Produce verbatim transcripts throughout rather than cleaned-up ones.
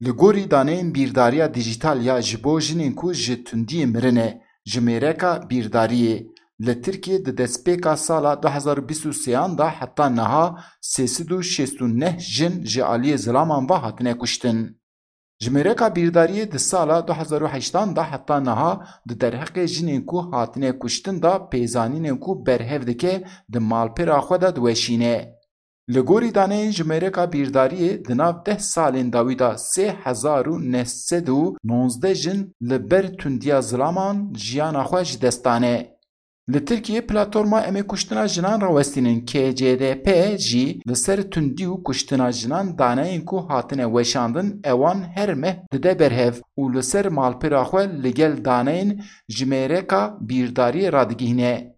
Li gorî daneyên bîrdariya dîjîtal ya ji bo jinên ku ji tundiyê mirine, jimêreka bîrdariyê li Tirkiyê di destpêka sala du hezar û bîst û sêyan de heta niha sê sed û şêst û neh jin ji aliyê zilaman ve hatine kuştin. Jimêreka bîrdariyê di sala du hezar û heştan de heta niha di derheqê jinên ku hatine kuştin de pêzanînên ku berhev dike di malpêra xwe de diweşîne. Li gorî daneyên jimêreka bîrdariyê di nav deh salên dawî de sê hezar û neh sed û nozdeh jin li ber tundiya zilaman jiyana xwe ji dest dane. Li Tirkiyê platforma Em ê kuştina jinan rawestînin, K C D P, jî li ser tundî û kuştina jinan daneyên ku hatine weşandin ewan her meh dide berhev û li ser malpêra xwe li gel daneyên jimêreka bîrdariyê radigihîne.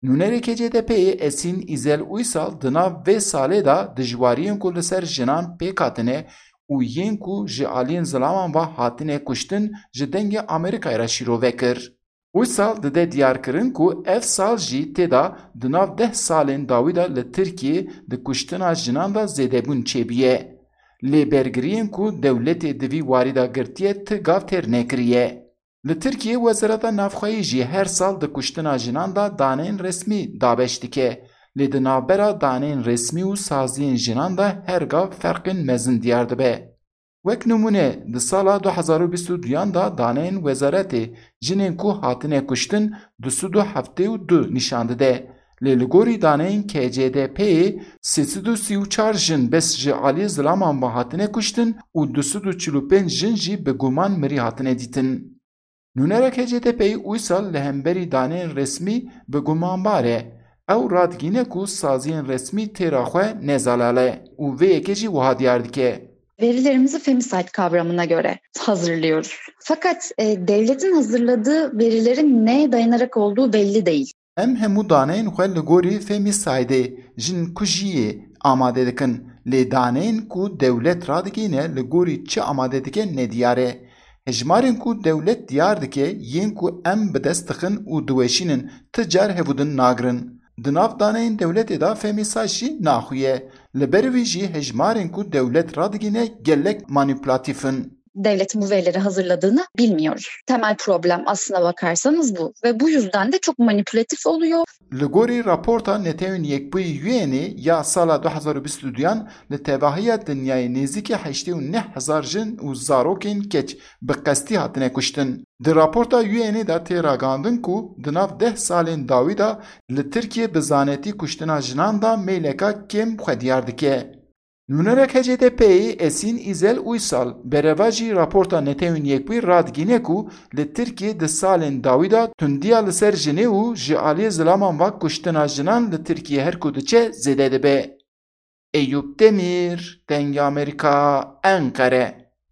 Nûnerê K C D P'ê Esin Îzel Uysal di nav vê salê de dijwariyên ku li ser jinan pêk hatine û yên ku ji aliyên zilaman ve hatine kuştin ji Dengê Amerîkayê re şîrove kir. Uysal dide diyarkirin ku ev sal jî tê de di nav deh salên dawî de li Tirkiyê di kuştina jinan de zêdebûn çêbûye. Lê bergiriyên ku dewletê di vî warî de girtiye ti gav têr nekiriye. Li Tirkiyê Wezareta Navxweyî jî her sal di kuştina jinan de daneyên resmî dabeş dike. Lê di navbera daneyên resmî û saziyên jinan de her gav ferqên mezin diyar dibe. Wek nimûne, di sala du hezar û bîst û duyan de daneyên wezaretê jinên ku hatine kuştin du sed û heftê û du nîşan dide. Lê li gorî daneyên K C D P'ê sê sed û sî û çar jin bes ji aliyê zilaman ve hatine kuştin û du sed û çil û pênc jin jî bi guman mirî hatine dîtin. Nûnera K C D P'ê Uysal li hemberî daneyên resmî bi gumanbar e. Ew radigîne ku saziyên resmî têra xwe ne zelal e û vê yekê jî wiha diyar dike. Verilerimizi femicide kavramına göre hazırlıyoruz. Fakat e, devletin hazırladığı verilerin neye dayanarak olduğu belli değil. Em hemû daneyên xwe li gorî femicideê jin kujiyê amade dikin, lê daneyên ku dewlet radigihîne li gorî çi amade dike nediyar e. Hejmarên ku dewlet diyar dike yên ku em bi dest dixin û diweşînin ti car hev û din nagirin. Di nav daneyên dewletê de femicide jî naxuye. Li ber vî jî hejmarên ku dewlet radigihîne gelek manîpulatîf in. Devletin bu verileri hazırladığını bilmiyoruz. Temel problem aslına bakarsanız bu ve bu yüzden de çok manipülatif oluyor. Li gorî raporta Netewên Yekbûyî U N'ê ya sala du hezar û bîst û duyan li tevahiya dinyayê nêzîkî heştê û neh hezar jin û zarokên keç bi qestî hatine kuştin. Di raporta U N'ê de tê ragihandin ku di nav deh salên dawî de li Tirkiyê bi zanetî kuştina jinan de mêleka kêm xwe diyar dike. Nûnerek H D P'ê Esin Îzel Uysal, berevajî raporta Netewên Yekbûyî radigîne ku li Tirkiyê di salên dawî de tundiya li ser jinê û ji aliyê zilaman ve kuştina jinan li Tirkiyê her ku diçe zêde dibe. Eyûp Demîr, Dengê Amerîka, Enqere.